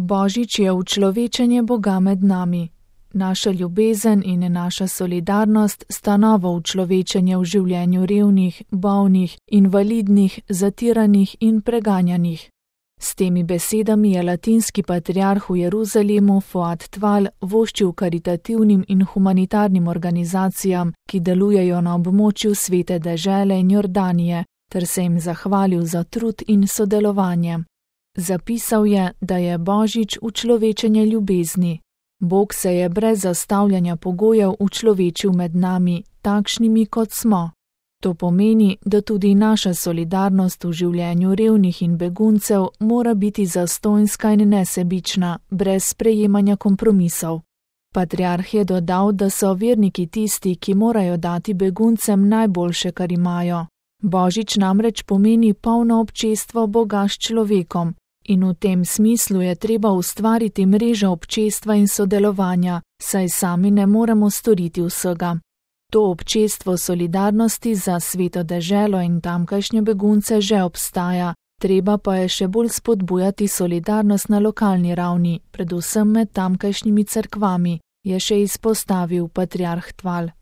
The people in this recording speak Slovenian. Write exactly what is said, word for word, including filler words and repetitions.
Božič je učlovečenje Boga med nami. Naša ljubezen in naša solidarnost sta novo učlovečenje v življenju revnih, bolnih, invalidnih, zatiranih in preganjanih. S temi besedami je latinski patriarh v Jeruzalemu Fuad Tval voščil karitativnim in humanitarnim organizacijam, ki delujejo na območju Svete dežele in Jordanije, ter se jim zahvalil za trud in sodelovanje. Zapisal je, da je Božič učlovečenje ljubezni. Bog se je brez zastavljanja pogojev učlovečil med nami, takšnimi kot smo. To pomeni, da tudi naša solidarnost v življenju revnih in beguncev mora biti zastonjska in nesebična, brez sprejemanja kompromisov. Patriarh je dodal, da so verniki tisti, ki morajo dati beguncem najboljše, kar imajo. Božič namreč pomeni polno občestvo Boga s človekom in v tem smislu je treba ustvariti mrežo občestva in sodelovanja, saj sami ne moremo storiti vsega. To občestvo solidarnosti za Sveto deželo in tamkajšnje begunce že obstaja, treba pa je še bolj spodbujati solidarnost na lokalni ravni, predvsem med tamkajšnjimi cerkvami, je še izpostavil patriarh Tval.